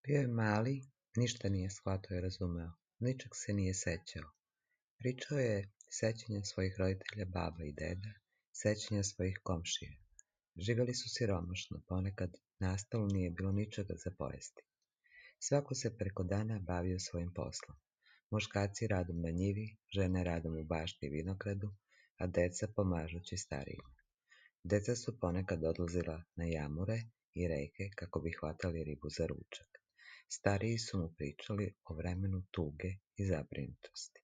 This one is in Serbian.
Bio je mali, ništa nije shvatao i razumeo, ničeg se nije sećao. Pričao je sećanja svojih roditelja, baba i deda, sećanja svojih komšija. Živjeli su siromašno, ponekad na stolu nije bilo ničega za pojesti. Svako se preko dana bavio svojim poslom. Muškarci radom na njivi, žene radom u bašti i vinogradu, a deca pomažući starijima. Deca su ponekad odlazila na jamure i reke kako bi hvatali ribu za ručak. Stariji su mu pričali o vremenu tuge i zabrinutosti.